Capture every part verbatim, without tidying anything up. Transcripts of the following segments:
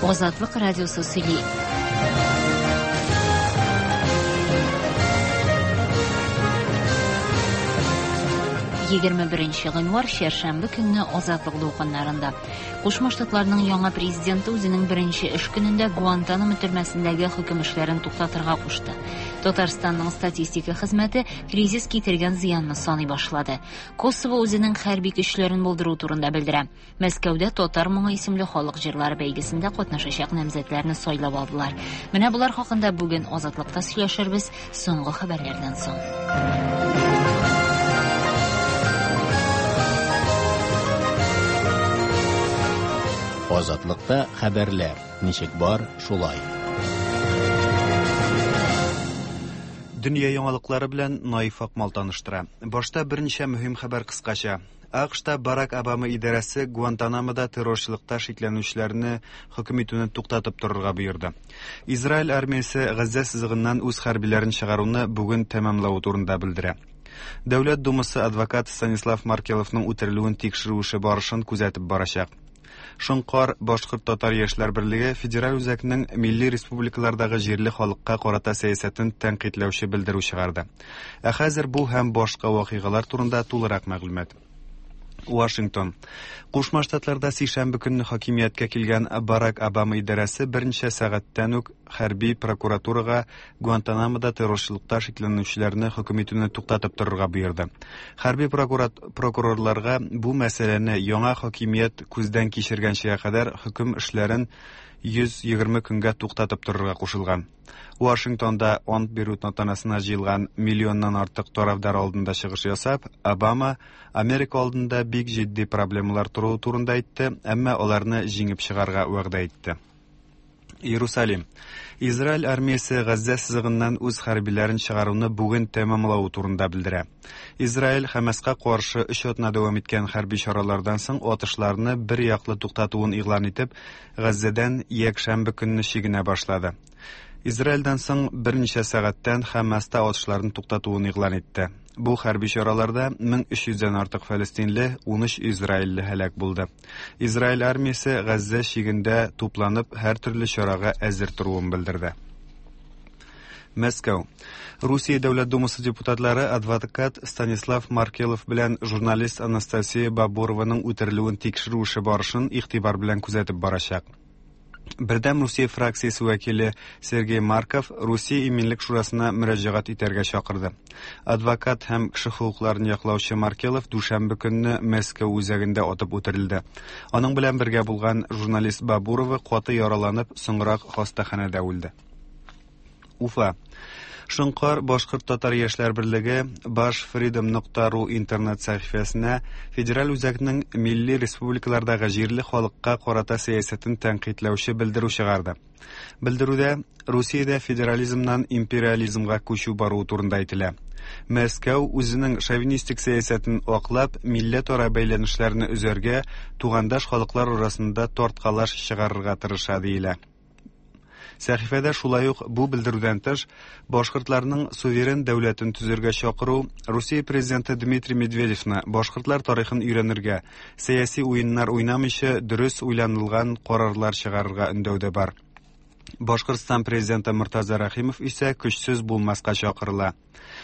Азатлык радиосы сөйли. Егерме беренче гыйнвар чәршәмбе көнне Азатлык дулкыннарында. Кушма Штатларның яңа президенты үзенең беренче эш көнендә Гуантанамо төрмәсендәге хөкем эшләрен туктатырга кушты. Татарстанның статистика хезмәте кризис китергән зыянны саный башлады. Косово үзенең хәрби көчләрен булдыру турында белдерә. Мәскәүдә Татар моңы исемле халык җырлары бәйгесендә катнашачак намзәтләрне сайлап алдылар. Менә болар хакында бүген Азатлыкта сөйләшербез соңгы хәбәрләрдән соң. Азатлыкта хәбәрләр ничек бар, шулай. Дөнья яңалыклары белән Наиф Акмал таныштыра. Башта берничә мөһим хәбәр кыскача. АКШта Барак Обама идарәсе Гуантанамода террорчылыкта шикләнүчеләрне хөкем итүне туктатып торырга боерды. Израиль армиясе Газзә сызыгыннан үз хәрбиләрен чыгаруны бүген тәмамлавы турында белдерә. Дәүләт Думасы адвокат Станислав Маркеловның үтерелүен тикшерү эше барышын күзәтеп барачак. Шоңкар башкорт-татар яшьләр берлеге федераль үзәкнең милли республикалардагы җирле халыкка карата сәясәтен тәнкыйтьләүче белдерү чыгарды. Ә хәзер бу һәм башка вакыйгалар турында тулырак мәгълүмат. Вашингтон. Кушма Штатларда сишәмбе көнне хакимияткә килгән Барак Обама идарәсе берничә сәгатьтән үк хәрби прокуратурага Гуантанамода террорчылыкта шикләнүчеләрне хөкем итүне туктатып торырга боерды. Хәрби прокурорларга бу мәсьәләне яңа хакимият күздән кичергәнчегә кадәр хөкем эшләрен йөз егерме көнгә туктатып торырга кушылган. Вашингтонда ант бирү тантанасына җыелган миллионнан артык тарафдар алдында чыгыш ясап, Обама Америка алдында бик җитди проблемалар торуы турында әйтте, әмма аларны җиңеп чыгарга вәгъдә итте. Иерусалим. Израиль армиясе Газзә сызыгыннан үз хәрбиләрен чыгаруны бүген тәмамлавы турында белдерә. Израиль Хамаска каршы өч атна дәвам иткән хәрби чаралардан соң атышларны бер яклы туктатуын игълан итеп, Газзәдән якшәмбе көнне чигенә башлады. Израильдән соң берничә сәгатьтән Хамаста атышларны туктатуын игълан итте. Бу хәрби чараларда мең өч йөздән артык фәлестинле, унөч израильле һәлак булды. Израиль армиясе Газзә чигендә тупланып, һәр төрле чарага әзер торуын белдерде. Мәскәү. Русия Дәүләт Думасы депутатлары адвокат Станислав Маркелов белән журналист Анастасия Бабурованың үтерелүен тикшерү эше барышын игътибар белән күзәтеп барачак. Бердәм Русия фракциясе вәкиле Сергей Марков Русия Иминлек шурасына мөрәҗәгать итәргә чакырды. Адвокат һәм кеше хокукларын яклаучы Маркелов дүшәмбе көнне Мәскәү үзәгендә атып үтерелде. Аның белән бергә булган журналист Бабурова каты яраланып, соңрак хастаханәдә үлде. Уфа. Шоңкар башкорт-татар яшьләр берлеге башфридом нокта ру интернет сәхифәсенә федераль үзәкнең милли республикалардагы җирле халыкка карата сәясәтен тәнкыйтьләүче белдерү чыгарды. Белдерүдә Русиядә федерализмнан империализмга күчү баруы турында әйтелә. Мәскәү үзенең шовинистик сәясәтен аклап, милләтара бәйләнешләрне өзәргә, тугандаш халыклар арасында тарткалаш чыгарырга тырыша диелә. Сәхифәдә шулай ук бу белдерүдән тыш башкортларның суверен дәүләтен төзергә чакыру, Русия президенты Дмитрий Медведевны башкортлар тарихын өйрәнергә, сәяси уеннар уйнамыйча дөрес уйланылган карарлар чыгарырга өндәү дә бар. Башкортстан президенты Муртаза Рахимов исә көчсез булмаска чакырыла.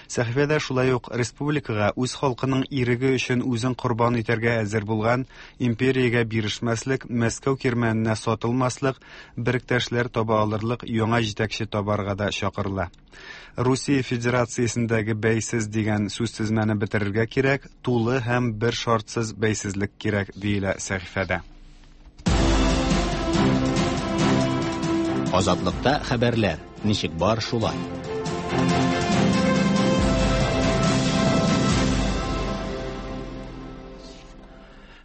Сәхифәдә шулай ук республикага үз халкының иреге өчен үзен корбан итәргә әзер булган империягә бирешмәслек, Мәскәү кирмәненә сатылмаслык, беректәшләр таба алырлык яңа җитәкче табарга да чакырыла. Русия Федерациясендәге бәйсез дигән сүзтезмәне бетерергә кирәк, тулы һәм бер шартсыз бәйсезлек кирәк, диелә сәхифәдә. Азатлыкта хәбәрләр ничек бар, шулай.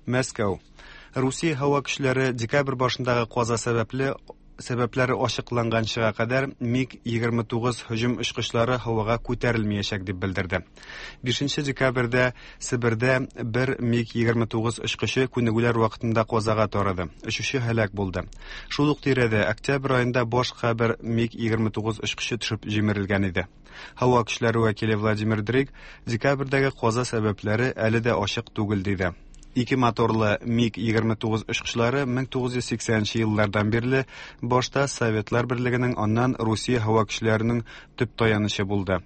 Мәскәү. Русия һава көчләре декабрь башындагы каза сәбәпле сәбәпләре ачыкланганчыга кадәр МиГ егерме тугыз һөҗүм очкычлары һавага күтәрелмәячәк дип белдерде. Бишенче декабрьдә Себердә бер МиГ егерме тугыз очкычы күнегүләр вакытында казага тарады. Очучы һәлак булды. Шул ук тирәдә октябрь аенда башка бер МиГ егерме тугыз очкычы төшеп җимерелгән иде. Һава көчләре вәкиле Владимир Дрик декабрьдәге каза сәбәпләре әле дә ачык түгел диде. Ике моторлы МиГ егерме тугыз очкычлары мең тугыз йөз сиксәненче еллардан бирле башта Советлар Берлегенең, аннан Русия һава көчләренең төп таянычы булды.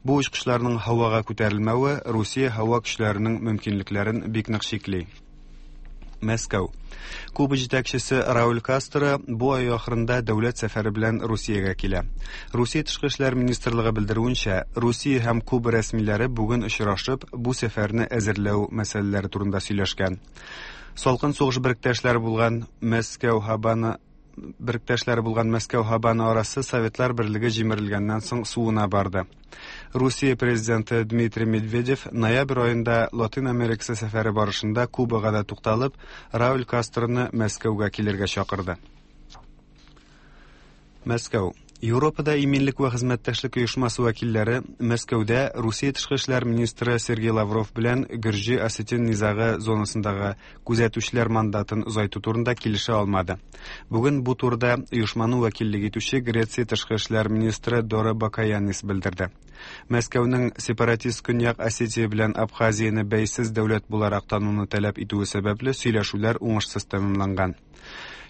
Бу очкычларның һавага күтәрелмәве Русия һава көчләренең мөмкинлекләрен бик нык чикли. Мәскәү. Куба җитәкчесе Рауль Кастро бу ай ахырында дәүләт сәфәре белән Русиягә килә. Русия Тышкы эшләр министрлыгы белдерүенчә, Русия һәм Куба рәсмиләре бүген очрашып, бу сәфәрне әзерләү мәсьәләләре турында сөйләшкән. Салкын сугыш беректәшләре булган Мәскәү Һавана беректәшләре булган Мәскәү Һавана арасы Советлар Берлеге җимерелгәннән соң суына барды. Русия президенты Дмитрий Медведев ноябрь аенда Латин Америкасы сәфәре барышында Кубага да тукталып, Рауль Кастроны Мәскәүгә килергә чакырды. Мәскәү. Европада иминлек вә хезмәттәшлек оешмасы вәкилләре Мәскәүдә Русия тышкы эшләр министры Сергей Лавров белән Гөрҗи Осетин низагы зонасындагы күзәтүчеләр мандатын озайту турында килешә алмады. Бүген бу турыда оешманы вәкиллек итүче Греция тышкы эшләр министры Дора Бакаянис белдерде. Мәскәүнең сепаратист Көньяк Осетия белән Абхазияне бәйсез дәүләт буларак тануны таләп итүе сәбәпле сөйләшүләр уңышсыз тәмамланган.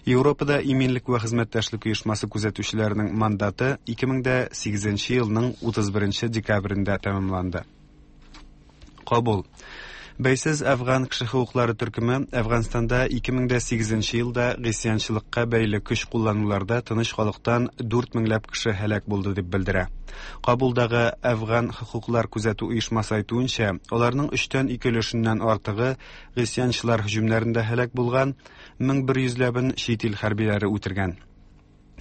Европада иминлек вә хезмәттәшлек оешмасы күзәтүчеләренең мандаты ике мең дә сигезенче елның утыз беренче декабрендә тәмамланды. Кабул. Бәйсез Афган кеше хокуклары төркеме Афганстанда ике мең дә сигезенче елда гыйсьянчылыкка бәйле көч куллануларда тыныч халыктан дүрт меңләп кеше һәлак булды дип белдерә. Кабулдагы Афган хокуклар күзәтү оешмасы әйтүенчә, аларның өчтән ике өлешеннән артыгы гыйсьянчылар һөҗүмнәрендә һәлак булган, мең бер йөзләбен чит ил хәрбиләре үтергән.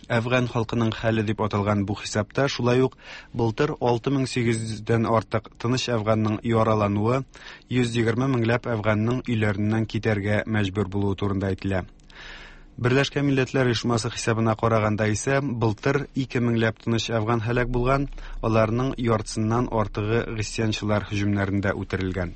Афган халкының хәле дип аталган бу хисапта шулай ук былтыр алты мең сигез йөздән артык тыныч афганның яралануы, йөз егерме меңләп афганның өйләреннән китәргә мәҗбүр булуы турында әйтелә. Берләшкән Милләтләр Оешмасы хисабына караганда исә былтыр ике меңләп тыныч афган һәлак булган, аларның яртысыннан артыгы гыйсьянчылар һөҗүмнәрендә үтерелгән.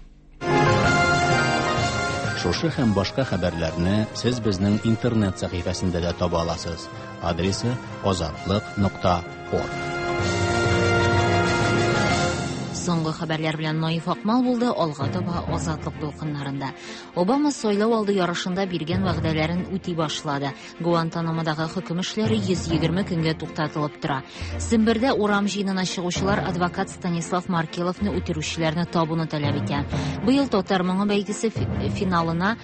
Шушы һәм башка хәбәрләрне сез безнең интернет сәхифәсендә дә таба аласыз. Адресы азатлык нокта орг. Соңгы хәбәрләр белән Наиф Акмал булды, алга таба Азатлык дулкыннарында. Обама сайлау алды ярышында биргән вәгъдәләрен үти башлады. Гуантанамодагы хөкем эшләре йөз егерме көнгә туктатылып тора. Сембердә урам җыенына чыгучылар адвокат Станислав Маркеловны үтерүчеләрне табуны таләп итә. Быел татар моңы бәйгесе финалына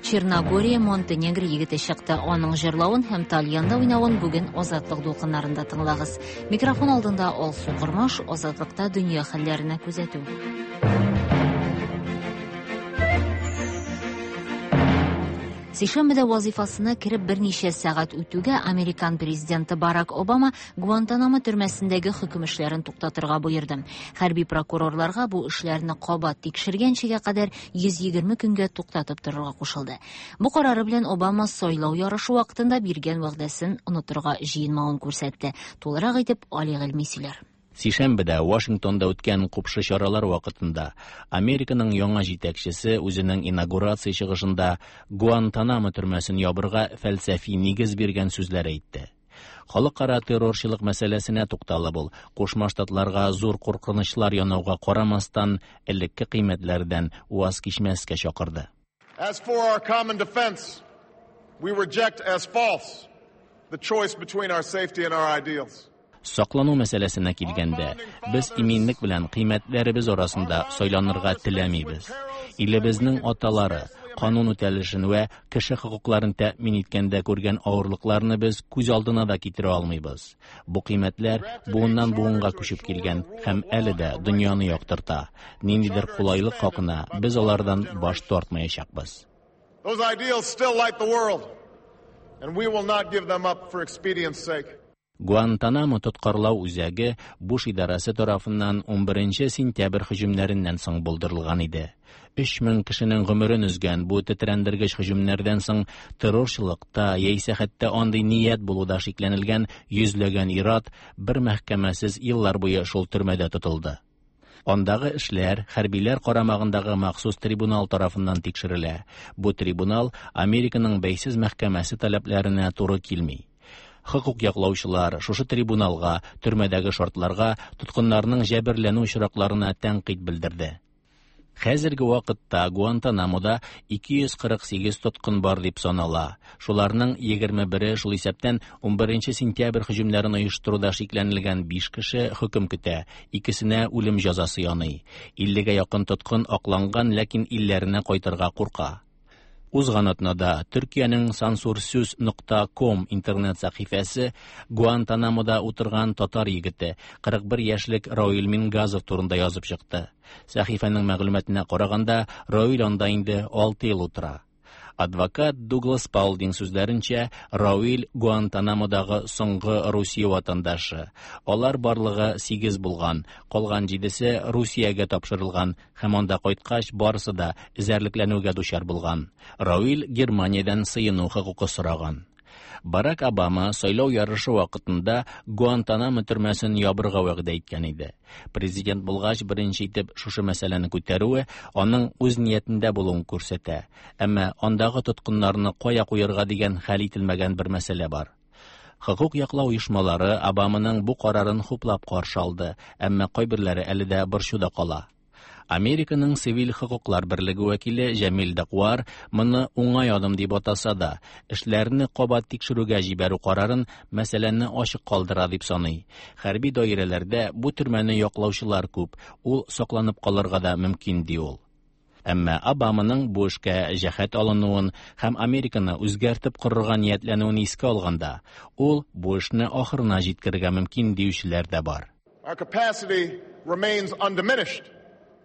Черногория, Монтенегро егете чыкты. Аның җырлавын һәм тальянда уйнавын бүген Азатлык дулкыннарында тыңлагыз. Микрофон алдында Алсу Кормаш, Азатлыкта дөнья хәлләренә күзәтү. Сишәмбедә вазифасына кереп берничә сәгать үтүгә Американ президенты Барак Обама Гуантанамо төрмәсендәге хөкем эшләрен туктатырга боерды. Хәрби прокурорларга бу эшләрне кабат тикшергәнчегә кадәр йөз егерме көнгә туктатып торырга кушылды. Бу карары белән Обама сайлау ярышы вакытында биргән вәгъдәсен онытырга җыенмавын күрсәтте. Тулырак итеп Али Гыйльми сөйләр. Сишәмбедә Вашингтонда үткән купшы чаралар вакытында Американың яңа җитәкчесе үзенең инаугурация чыгышында Гуантанамо төрмәсен ябырга фәлсәфи нигез биргән сүзләр әйтте. Халыкара террорчылык мәсьәләсенә тукталып ул, Кушма Штатларга зур куркынычлар янауга карамастан, элекке кыйммәтләрдән ваз кичмәскә чакырды. As for our common defense, we reject as false the choice between our safety and our ideals. Саклану мәсьәләсенә килгәндә, без иминлек белән кыйммәтләребез арасында сайланырга теләмибез. Илебезнең аталары канун үтәлешен вә кеше хокукларын тәэмин иткәндә күргән авырлыкларны без күз алдына да китерә алмыйбыз. Бу кыйммәтләр буыннан буынга күчеп килгән һәм әле дә дөньяны яктырта. Ниндидер кулайлык хакына без алардан баш тартмаячакбыз. Those ideals still light the world, and we will not give them up for expedience sake. Гуантанамо тоткарлау үзәге Буш идарәсе тарафыннан ун беренче сентябрь һөҗүмнәреннән соң булдырылган иде. Өч мең кешенең гомерен өзгән бу тетрәндергеч һөҗүмнәрдән соң террорчылыкта яисә хәтта андый ният булуда шикләнелгән йөзләгән ир-ат бер мәхкәмәсез еллар буе шул төрмәдә тотылды. Андагы эшләр хәрбиләр карамагындагы махсус трибунал тарафыннан тикшерелә. Бу трибунал Американың бәйсез мәхкәмәсе таләпләренә туры килми. Хокук яклаучылар шушы трибуналга, төрмәдәге шартларга, тоткыннарның җәберләнү очракларына тәнкыйть белдерде. Хәзерге вакытта Гуантанамода ике йөз кырык сигез тоткын бар дип санала. Шуларның егерме бере, шул исәптән унберенче сентябрь һөҗүмнәрен оештыруда шикләнелгән биш кеше хөкем көтә, икесенә үлем җәзасы яный. Иллегә якын тоткын акланган, ләкин илләренә кайтырга курка. Узган атнада Төркиянең сансурсүз нокта ком интернет сәхифәсе Гуантанамода утырган татар егете кырык бер яшьлек Равил Мингазов турында язып чыкты. Сәхифәнең мәгълүматына караганда, Равил анда инде алты ел утыра. Адвокат Дуглас Паулдинг сүзләренчә, Равил Гуантанамодагы соңгы Русия ватандашы. Алар барлыгы сигез булган, калган җидесе Русиягә тапшырылган һәм анда кайткач барысы да эзәрлекләнүгә дучар булган. Равил Германиядән сыену хокукы сораган. Барак Обама сайлау ярышы вакытында Гуантанамо төрмәсен ябырга вәгъдә иткән иде. Президент булгач беренче итеп шушы мәсьәләне күтәрүе аның үз ниятендә булуын күрсәтә. Әмма андагы тоткыннарны кая куярга дигән хәл ителмәгән бер мәсьәлә бар. Хокук яклау оешмалары Обаманың бу карарын хуплап каршы алды, әмма кайберләре әле дә борчуда кала. Американың цивиль хокуклар берлеге вәкиле Җәмил Дакуар моны уңай адым дип атаса да, эшләрне кабат тикшерүгә җибәрү карарын мәсьәләне ачык калдыра дип саный. Хәрби даирәләрдә бу төрмәне яклаучылар күп, ул сакланып калырга да мөмкин ди ул. Әмма Обаманың бу эшкә җәһәт алынуын һәм Американы үзгәртеп корырга ниятләнүен искә алганда, ул бу эшне ахырына җиткерергә мөмкин диючеләр дә бар. Our capacity remains undiminished.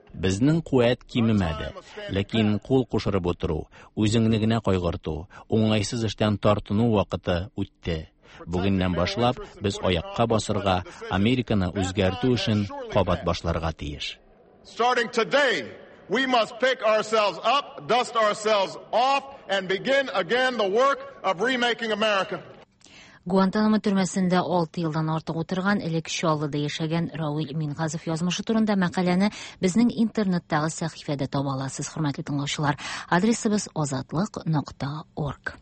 Безнең куәт кимемәде, ләкин кул кушырып утыру, үзеңне генә кайгырту, уңайсыз эштән тартыну вакыты үтте. Бүгеннән башлап без аякка басырга, Американы үзгәртү эшен кабат башларга тиеш. Starting today, we must pick ourselves up, dust ourselves off, and begin again the work of remaking America. Гуантанамо төрмәсендә алты елдан артык утырган, элек Чаллыда яшәгән Равил Мингазов язмышы турында мәкаләне безнең интернеттагы сәхифәдә таба аласыз, хөрмәтле тыңлаучылар. Адресыбыз азатлык нокта орг.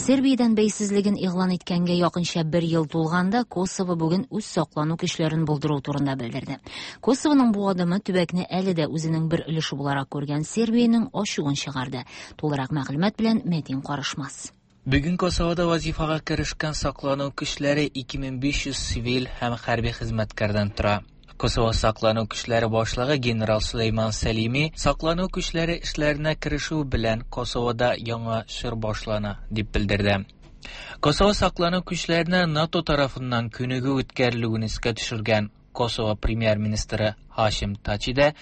Сербиядән бәйсезлеген игълан иткәнгә якынча бер ел тулганда Косово бүген үз саклану көчләрен булдыру турында белдерде. Косовоның бу адымы төбәкне әле дә үзенең бер өлеше буларак күргән Сербиянең ачуын чыгарды. Тулырак мәгълүмат белән Мәдин Карышмас. Бүген Косовода вазифага керешкән саклану көчләре ике мең биш йөз цивиль һәм хәрби хезмәткәрдән тора. Косово саклану көчләре башлыгы генерал Сулейман Сәлими саклану көчләре эшләренә керешү белән Косовода яңа чор башлана дип белдерде. Косово саклану көчләренә НАТО тарафыннан күнегү үткәрелүен искә төшергән Косово премьер-министры Хашим Тачи да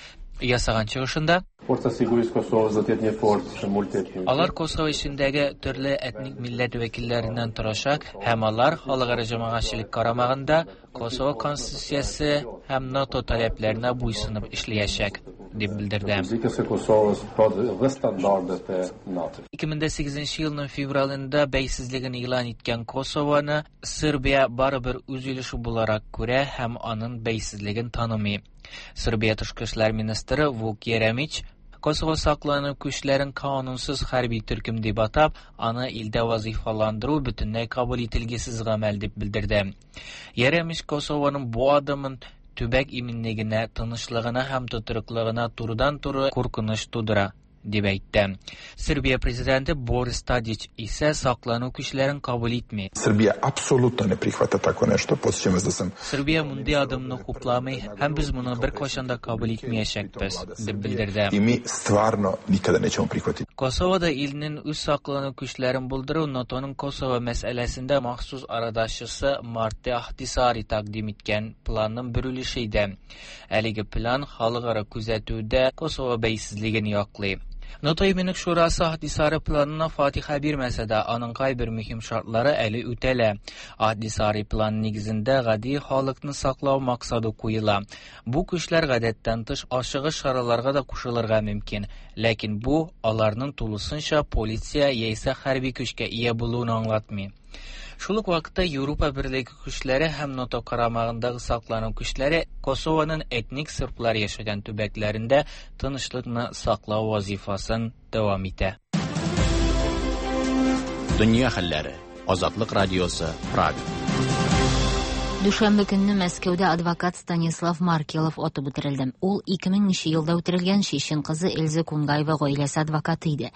ясаган чыгышында Forca Sigurisë Kosovës do të jetë një forcë multietnike. Алар Косово эчендәге төрле этник милләт вәкилләреннән торачак һәм алар халыкара җәмәгатьчелек карамагында Косово конституциясе һәм НАТО таләпләренә буйсынып эшләячәк, дип белдерде. Republikës së Kosovës, pra dhe standardet e NATO-s. Ике мең дә сигезенче елның февралендә бәйсезлеген игълан иткән Косовоны Сербия барыбер үз өлеше буларак күрә һәм аның бәйсезлеген танымый. Сербия тышкы эшләр министры Вук Еремич Косово саклану көчләрен канунсыз хәрби төркем дип атап, аны илдә вазифаландыру бөтенләй кабул ителгесез гамәл дип белдерде. Еремич Косованың бу адымын төбәк иминлегенә, тынычлыгына һәм тотрыклыгына турыдан-туры куркыныч тудыра дип әйтте. Сербия президенты Борис Тадич исә саклану көчләрен кабул итми. Srbija apsolutno ne prihvata tako nešto. Podsjećam vas da sam Сербия мондый адымны хупламый һәм без моны беркайчан да кабул итмәячәкбез, дип белдерде. I mi stvarno nikada nećemo prihvatiti. Косовода илнең үз саклану көчләрен булдыру НАТОның Косово мәсьәләсендә махсус арадашчысы Марти Ахтисари тәкъдим иткән планның бер өлеше иде. Әлеге план халыкара күзәтүдә Косово бәйсезлеген яклый. НАТО Иминлек Шурасы Ахтисари планына фатиха бирмәсә дә, аның кайбер мөһим шартлары әле үтәлә. Ахтисари планы нигезендә гади халыкны саклау максаты куела. Бу көчләр гадәттән тыш ашыгыч чараларга да кушылырга мөмкин, ләкин бу аларның тулысынча полиция яисә хәрби көчкә ия булуын аңлатмый. Шул ук вакытта Европа Берлеге көчләре һәм НАТО карамагындагы саклану көчләре Косованың этник серблар яшәгән төбәкләрендә тынычлыкны саклау вазифасын дәвам итә. Дөнья хәлләре. Азатлык радиосы, Прага. Дүшәмбе көнне Мәскәүдә адвокат Станислав Маркелов атып үтерелде. Ул ике меңенче елда үтерелгән чечен кызы Эльза Кунгаева гаиләсе адвокаты иде.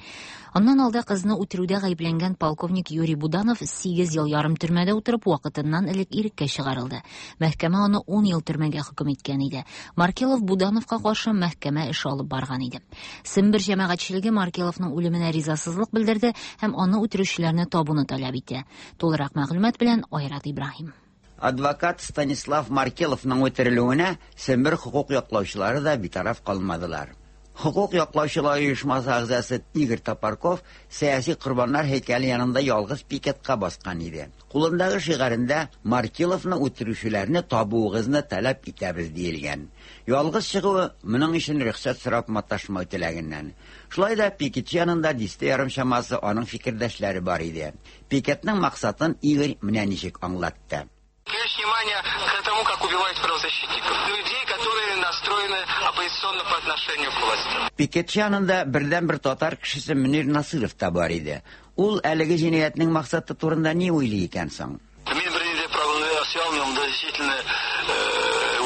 Аннан алда кызны үтерүдә гаепләнгән полковник Юрий Буданов сигез ел ярым төрмәдә утырып, вакытыннан элек иреккә чыгарылды. Мәхкәмә аны ун ел төрмәгә хөкем иткән иде. Маркелов Будановка каршы мәхкәмә эше алып барган иде. Сембер җәмәгатьчелеге Маркеловның үлеменә ризасызлык белдерде һәм аны үтерүчеләрне табуны таләп итте. Тулырак мәгълүмат белән Айрат Ибраһим. Адвокат Станислав Маркеловның үтерелүенә Сембер хукук яклаучылары да битараф калмадылар. Хукук яклаучылар оешмасы әгъзасы Игорь Топорков сәяси корбаннар һәйкәле янында ялгыз пикетка баскан иде. Кулындагы шигарендә Маркеловны үтерүчеләрне табуыгызны таләп итәбез диелгән. Ялгыз чыгуы моның өчен рөхсәт сорап маташмау теләгеннән. Шулай да пикетчы янында дистә ярым чамасы аның фикердәшләре бар иде. Пикетның максатын Игорь менә ничек аңлатты. Привлечь внимание к тому, как убивают правозащитников, людей, которые настроены оппозиционно по отношению к власти. Пикетчы янында бердән-бер татар кешесе Мөнир Насыров та бар иде. Ул әлеге җинаятьнең максаты турында ни уйлый икән соң? Мин бернинди прогноз ясый алмыйм, да, действительно,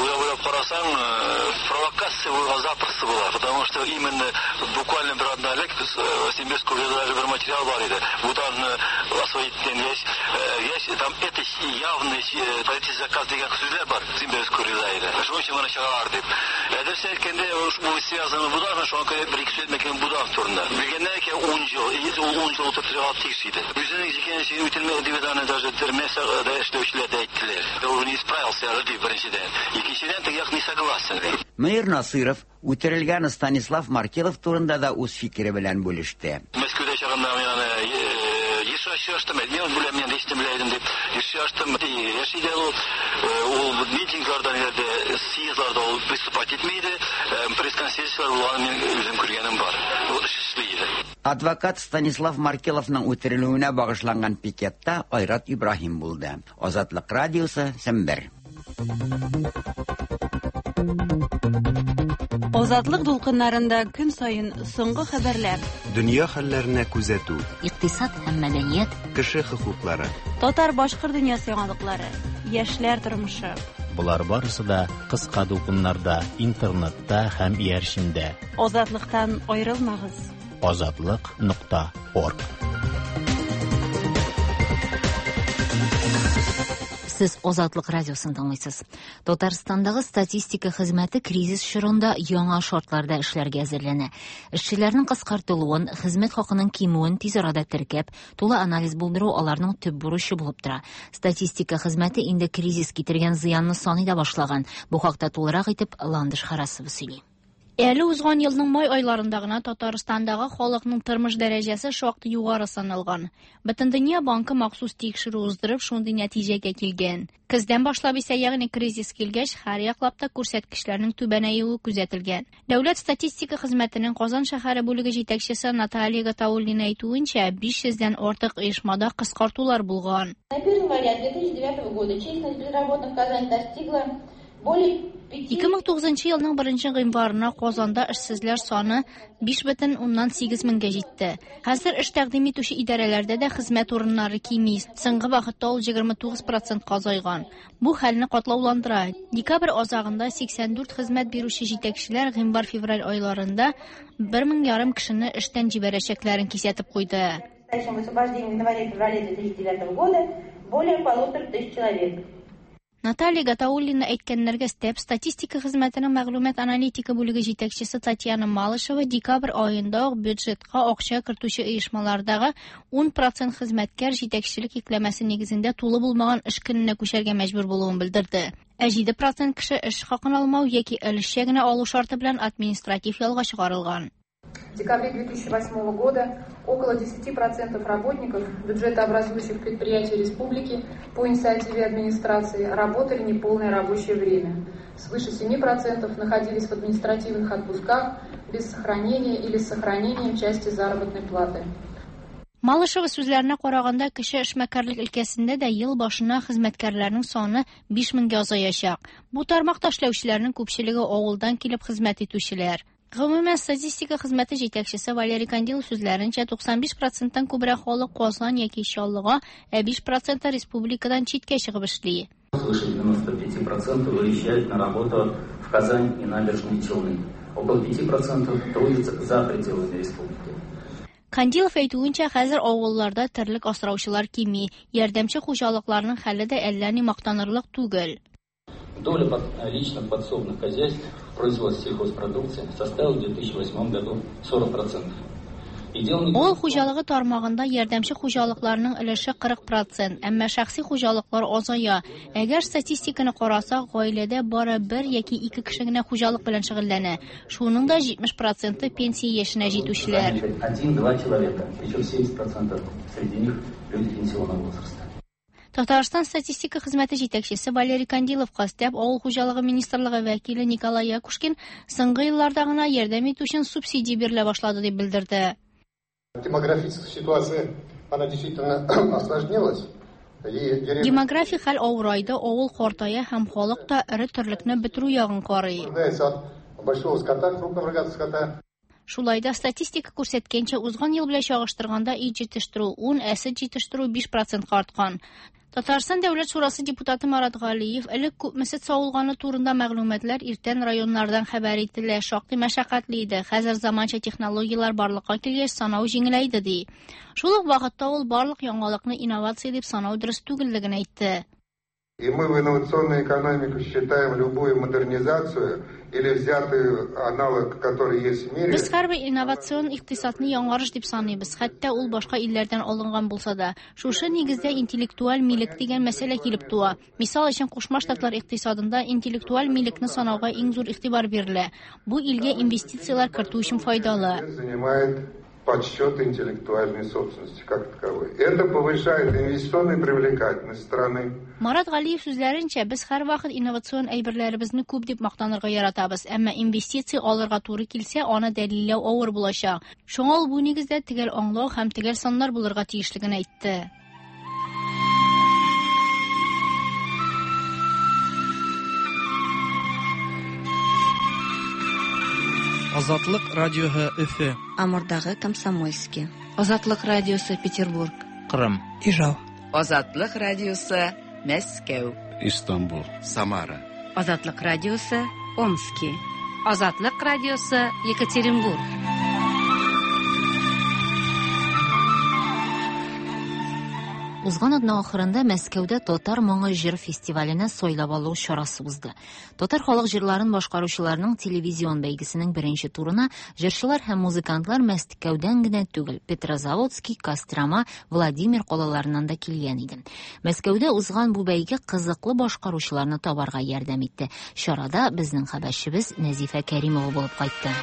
уйлап карасаң, провокация булган запросто була, потому что именно буквально бер атна элек Симбирского даже бер материал бар иде. Буданны освоить весь, весь там это явный политический заказ дигән сүзләр бар Симбирского иде. Шуның өчен моны чыгаралар дип. Дөрес әйткәндә, бу связано Будан, шуңа күрә бер ике сүз әйтмәкче Будан турында. Белгәннәр икән ун ел, ул ун ел утырып тиеш иде. Үзенең җикәнен үтелмәде дип аны даже төрмәсә дә эшләүчеләр дә әйттеләр. Ул не справился дип беренчедән. Икенчедән, теге як не согласен. Мөнир Насыров үтерелгән Станислав Маркелов турында да үз фикере белән бүлеште. Мәскәүдә чагында мин аны еш очраштым, мин беләм, мин ишетеп белә идем дип еш очраштым. Яши дә ул, ул митингларда, ниләрдә, съездларда ул выступать итми иде. Пресс-конференцияләр булганын мин үзем күргәнем бар. Ул эш эшли иде. Адвокат Станислав Маркеловның үтерелүенә багышланган пикетта Айрат Ибраһим булды. Азатлык радиосы, Сембер. Азатлык дулкыннарында көн саен соңгы хәбәрләр, дөнья хәлләренә күзәтү, икътисад һәм мәдәният, кеше хокуклары, татар-башкорт дөньясы яңалыклары, яшьләр тормышы. Болар барысы да кыска дулкыннарда, интернетта һәм иярчендә. Азатлыктан аерылмагыз. Азатлык нокта орг. Сез Азатлык радиосын тыңлыйсыз. Татарстандагы статистика хезмәте кризис чорында яңа шартларда эшләргә әзерләнә. Эшчеләрнең кыскартылуын, хезмәт хакының кимүен тиз арада теркәп, тулы анализ булдыру аларның төп бурычы булып тора. Статистика хезмәте инде кризис китергән зыянны саный да башлаган. Бу хакта тулырак итеп Ландыш Харасова сөйли. Әле узган елның май айларында гына Татарстандагы халыкның тормыш дәрәҗәсе шактый югары саналган. Бөтендөнья банкы махсус тикшерү уздырып, шундый нәтиҗәгә килгән. Көздән башлап исә, ягъни кризис килгәч, һәр яклап та күрсәткечләрнең түбәнәюе күзәтелгән. Дәүләт статистика хезмәтенең Казан шәһәре бүлеге җитәкчесе Наталья Гатауллина әйтүенчә, биш йөздән артык оешмада кыскартулар булган. На первое января две тысячи девятого года численность безработных в Казани достигла более ике мең тугызынчы елның беренче гыйнварына Казанда эшсезләр саны биш бөтен уннан сигез меңгә җитте. Хәзер эш тәкъдим итүче идарәләрдә дә хезмәт урыннары кими. Соңгы вакытта ул егерме тугыз процентка азайган. Бу хәлне катлауландыра. Декабрь азагында сиксән дүрт хезмәт бирүче җитәкчеләр гыйнвар-февраль айларында бер мең ярым кешене эштән җибәрәчәкләрен кисәтеп куйды. В освобождении в январе-феврале две тысячи девятого года более полутора тысяч человек. Наталья Гатауллина әйткәннәргә өстәп, статистика хезмәтенең мәгълүмат аналитика бүлеге җитәкчесе Татьяна Малышева декабрь аенда ук бюджетка акча кертүче оешмалардагы ун процент хезмәткәр җитәкчелек йөкләмәсе нигезендә тулы булмаган эш көненә күчәргә мәҗбүр булуын белдерде. Ә җиде процент кеше эш хакын алмау яки өлешчә генә алу шарты белән административ ялга чыгарылган. В декабре две тысячи восьмого года около десяти процентов работников бюджетообразующих предприятий республики по инициативе администрации работали неполное рабочее время. Свыше семи процентов находились в административных отпусках без сохранения или с сохранением части заработной платы. Малышева сүзләренә караганда, кеше эшмәкәрлек өлкәсендә дә ел башына хезмәткәрләрнең саны биш меңгә азаячак. Бу тармакта эшләүчеләрнең күпчелеге авылдан килеп хезмәт итүчеләр. Гомумән, статистика хезмәте җитәкчесе Валерий Кандилов сүзләренчә, туксан биш проценттан күбрәк халык Казан яки Чаллыга, ә биш проценты республикадан читкә чыгып эшли. Свыше девяносто пяти процентов выезжают на работу в Казань и Набережные Челны. Около пяти процентов трудятся за пределами республики. Кандилов әйтүенчә, хәзер авылларда терлек асраучылар кими, ярдәмче хуҗалыкларның хәле дә әллә ни мактанырлык түгел. Доля под-, личных подсобных хозяйств в производстве сельхозпродукции составила в две тысячи восьмом году сорок процентов. И дело не Авыл хуҗалыгы тармагында ярдәмче хуҗалыкларның өлеше кырык процент, әмма шәхси хуҗалыклар азая. Әгәр статистиканы карасак, гаиләдә бары бер яки ике кеше генә хуҗалык белән шөгыльләнә. Шуның да җитмеш проценты пенсия яшенә җитүчеләр. Один-два человека, причем семьдесят процентов среди них люди пенсионного возраста. Татарстан статистика хезмәте җитәкчесе Валерий Кандилов өстәп, авыл хуҗалыгы министрлыгы вәкиле Николай Якушкин соңгы елларда гына ярдәм итү өчен субсидия бирелә башлады дип белдерде. Демографическая ситуация, она действительно осложнилась. И деревня Демографик хәл авырайды, авыл картая һәм халык та эре терлекне бетерү ягын карый. Нуждается от большого скота, крупного рогатого скота. Шулай да статистика күрсәткәнчә, узган ел белән чагыштырганда ит җитештерү ун, ә сөт җитештерү биш процентка арткан. Татарстан Дәүләт Шурасы депутаты Марат Галиев элек күпме сөт савылганы турында мәгълүматлар иртән районнардан хәбәр ителә, шактый мәшәкатьле иде. Хәзер заманча технологияләр барлыкка килгәч, санау җиңеләйде ди. Шул ук вакытта ул барлык яңалыкны инновация дип санау дөрес түгеллеген әйтте. И мы в инновационную экономику считаем любую модернизацию или взятый аналог, который есть в мире. Без һәрбер инновацион икътисадны яңарыш дип саныйбыз, хәтта ул башка илләрдән алынган булса да. Шушы нигездә интеллектуаль милек дигән мәсьәлә килеп туа. Мисал өчен, Кушма Штатлар икътисадында интеллектуаль милекне санауга иң зур игътибар бирелә. Бу илгә инвестицияләр кертү өчен файдалы. Занимает подсчет интеллектуальной собственности как таковой. Это повышает инвестиционную привлекательность страны. Марат Галиев сүзләренчә, без һәрвакыт инновацион әйберләребезне күп дип мактанырга яратабыз, әмма инвестиция алырга туры килсә, аны дәлилләү авыр булачак. Шуңа ул бу нигездә төгәл аңлау һәм төгәл саннар булырга тиешлеген әйтте. Азатлык радиоһы Өфө. Амурдагы Комсомольский. Азатлык радиосы Петербург. Кырым. Ижау. Азатлык радиосы Мәскәү. Истанбул. Самара. Азатлык радиосы Омски. Азатлык радиосы Екатеринбург. Узган атна ахырында Мәскәүдә Татар моңы җыр фестиваленә сайлап алу чарасы узды. Татар халык җырларын башкаручыларның телевизион бәйгесенең беренче турына җырчылар һәм музыкантлар Мәскәүдән генә түгел, Петрозаводский, Кострома, Владимир калаларыннан да килгән иде. Мәскәүдә узган бу бәйге кызыклы башкаручыларны табарга ярдәм итте. Чарада безнең хәбәрчебез Нәзифә Кәримова булып кайтты.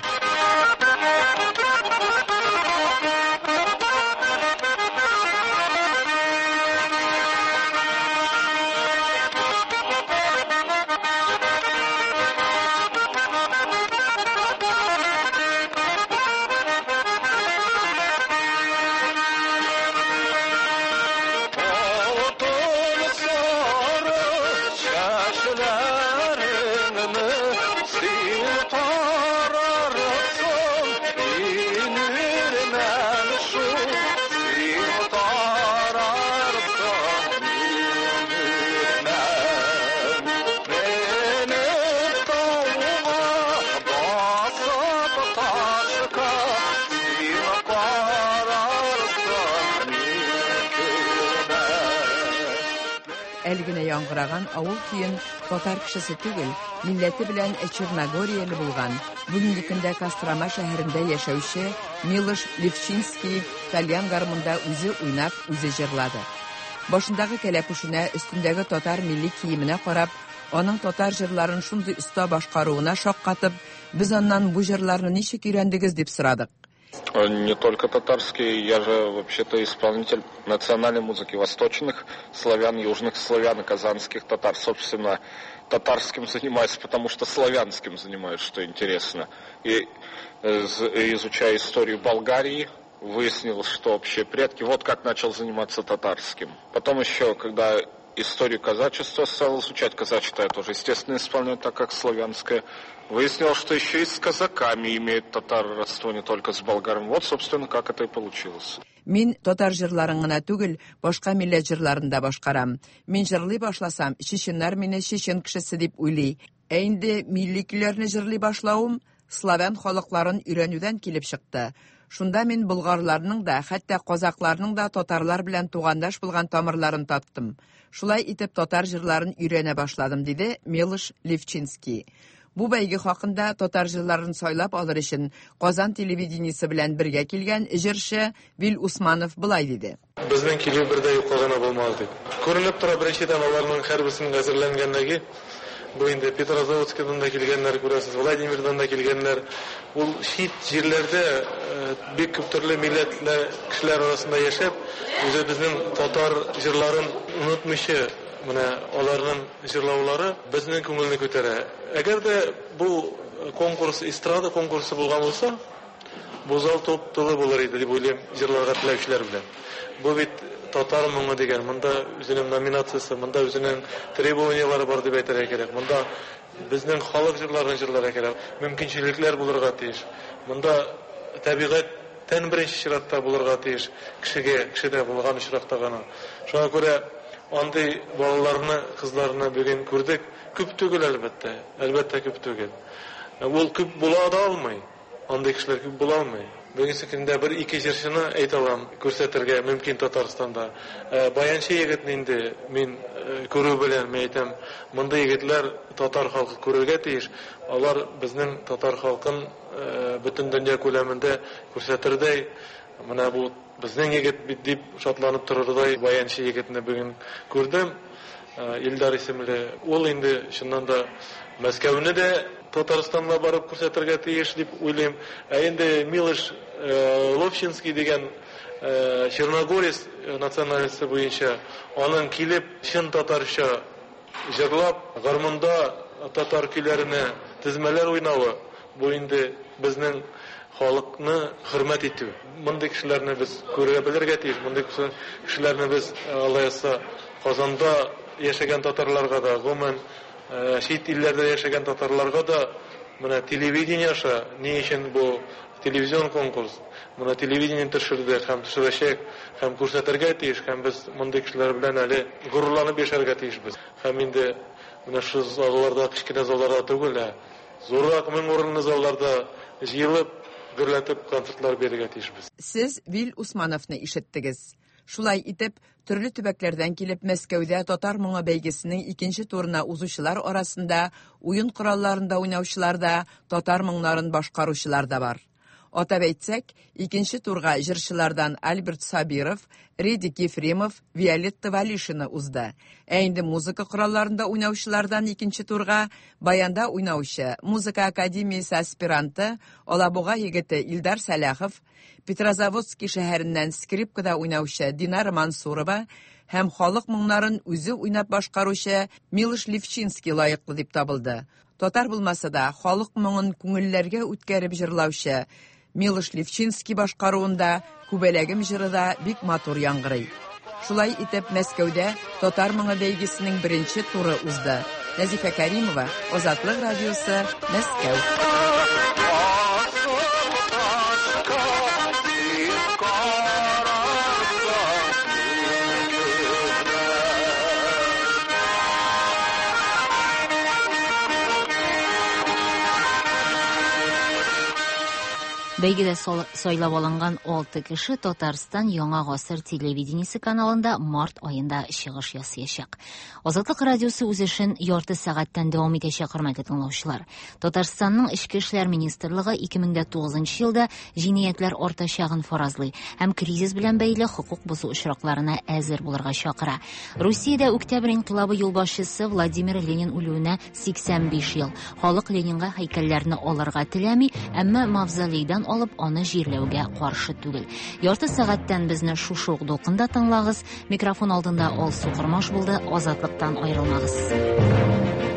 Әле генә яңгыраган авыл көен татар кешесе түгел, милләте белән Черногорияле булган. Бүгенге көндә Кострома шәһәрендә яшәүче Милош Левчинский тальян гармунда үзе уйнап, үзе җырлады. Башындагы кәләпүшенә, өстендәге татар милли киеменә карап, аның татар җырларын шундый оста башкаруына шаккатып, без аннан бу җырларны ничек өйрәндегез дип сорадык. Не только татарский, я же вообще-то исполнитель национальной музыки восточных славян, южных славян, казанских татар. Собственно, татарским занимаюсь, потому что славянским занимаюсь, что интересно. И изучая историю Болгарии, выяснил, что вообще предки, вот как начал заниматься татарским. Потом еще, когда Историю казачества стал изучать. Казачество я тоже, естественно, исполняю так, как славянское. Выяснилось, что еще и с казаками имеет татар родство, не только с болгарами. Вот, собственно, как это и получилось. Мин татар җырларын гына түгел, башка милләт җырларын да башкарам. Мин җырлый башласам, чеченнар мине чечен кешесе дип уйлый. Ә инде милли көйләрне җырлый башлавым славян халыкларын өйрәнүдән килеп чыкты. Шунда мин болгарларның да, хәтта казакларның да татарлар белән тугандаш булган тамырларын таптым. Шулай итеп татар җырларын өйрәнә башладым, диде Милош Левчинский. Бу бәйге хакында татар җырларын сайлап алыр өчен Казан телевидениесе белән бергә килгән җырчы Вил Усманов былай диде. Безнең килү бер дә юкка гына булмады дип. Күренеп тора, беренчедән аларның һәрберсенең әзерләнгәнлеге. Бу инде Петрозаводскидан да килгәннәр, күрәсез, Владимирдан да килгәннәр. Ул чит җирләрдә бик күп төрле милләтләр кешеләр арасында яшәп, үзебезнең татар җырларын онытмыйча, менә аларның җырлаулары безнең күңелне күтәрә. Әгәр дә бу конкурс эстрада конкурсы булган булса, бу зал топ-тулы булыр иде дип уйлыйм җырларга теләүчеләр белән. Бу бит татар моңы дигән, монда үзенең номинациясе, монда үзенең требованиялары бар дип әйтергә кирәк. Монда безнең халык җырларын җырларга кирәк, мөмкинчелекләр булырга тиеш. Монда табигатьтән беренче чиратта булырга тиеш, кешегә, кешедә булган очракта гына. Шуңа күрә андый балаларны, кызларны бүген күрдек. Күп түгел әлбәттә, әлбәттә күп түгел. Ул күп була да алмый. Андый кешеләр күп була алмый. Бүгенге көндә бер ике җырчыны әйтә алам, күрсәтергә мөмкин Татарстанда. Баянчы егетне инде мин күрү белән мин әйтәм, мондый егетләр татар халкы күрергә тиеш. Алар безнең татар халкын бөтен дөнья күләмендә күрсәтердәй, менә бу безнең егет бит дип шатланып торырдай баянчы егетне бүген күрдем. Илдар исемле. Ул инде чыннан да Мәскәүне дә Татарстанга барып күрсәтергә тиеш дип уйлыйм. Ә инде Милош Ловчинский дигән черногорец национальности буенча аның килеп чын татарча җырлап, гармунда татар көйләренә тезмәләр уйнавы, бу инде безнең халыкны хөрмәт итү. Мондый кешеләрне без күрә белергә тиеш. Мондый кешеләрне без, Алла язса, Казанда яшәгән татарларга да, гомумән чит илләрдә яшәгән татарларга да менә телевидение аша, ни өчен бу телевизион конкурс, менә телевидение төшерде һәм төшерәчәк, һәм күрсәтергә тиеш, һәм без мондый кешеләр белән әле горурланып яшәргә тиешбез. Һәм инде менә шул залларда, кечкенә залларда түгел, ә зуррак мең урынлы залларда җыелып, гөрләтеп концертлар бирергә тиешбез. Сез Вил Усмановны ишеттегез. Шулай итеп, төрле төбәкләрдән килеп Мәскәүдә татар моңы бәйгесенең икенче турына узучылар арасында уен коралларында уйнаучылар да, татар моңнарын башкаручылар да бар. Атап әйтсәк, икенче турга җырчылардан Альберт Сабиров, Редик Ефремов, Виолетта Валишина узды. Ә инде музыка коралларында уйнаучылардан икенче турга баянда уйнаучы, музыка академиясе аспиранты, Алабуга егете Илдар Сәлахов, Петрозаводский шәһәреннән скрипкада уйнаучы Динара Мансурова һәм халык моңнарын үзе уйнап башкаручы Милош Левчинский лаеклы дип табылды. Татар булмаса да, халык моңын күңелләргә үткәреп җырлаучы Милош Левчинский башкаруында Күбәләгем җыры да бик матур яңгырый. Шулай итеп, Мәскәүдә татар моңы бәйгесенең беренче туры узды. Нәзифә Кәримова, Азатлык радиосы, Мәскәү. Бәйгедә сайлап алынган алты кеше Татарстан Яңа гасыр телевидениесе каналында март аенда чыгыш ясаячак. Азатлык радиосы үз эшен ярты сәгатьтән дәвам итәчәк, хөрмәтле тыңлаучылар. Татарстанның Эчке эшләр министрлыгы ике мең дә тугызынчы елда җинаятьләр артачагын фаразлый һәм кризис белән бәйле хокук бозу очракларына әзер булырга чакыра. Русиядә Октябрь инкыйлабы юлбашчысы Владимир Ленин үлүенә сиксән биш ел. Халык Ленинга һәйкәлләрне алырга теләми, әмма мавзолейдан алып аны җирләүгә каршы түгел. Ярты сәгатьтән безне шушы ук дулкында тыңлагыз. Микрофон алдында Алсу Кормаш булды. Азатлыктан аерылмагыз.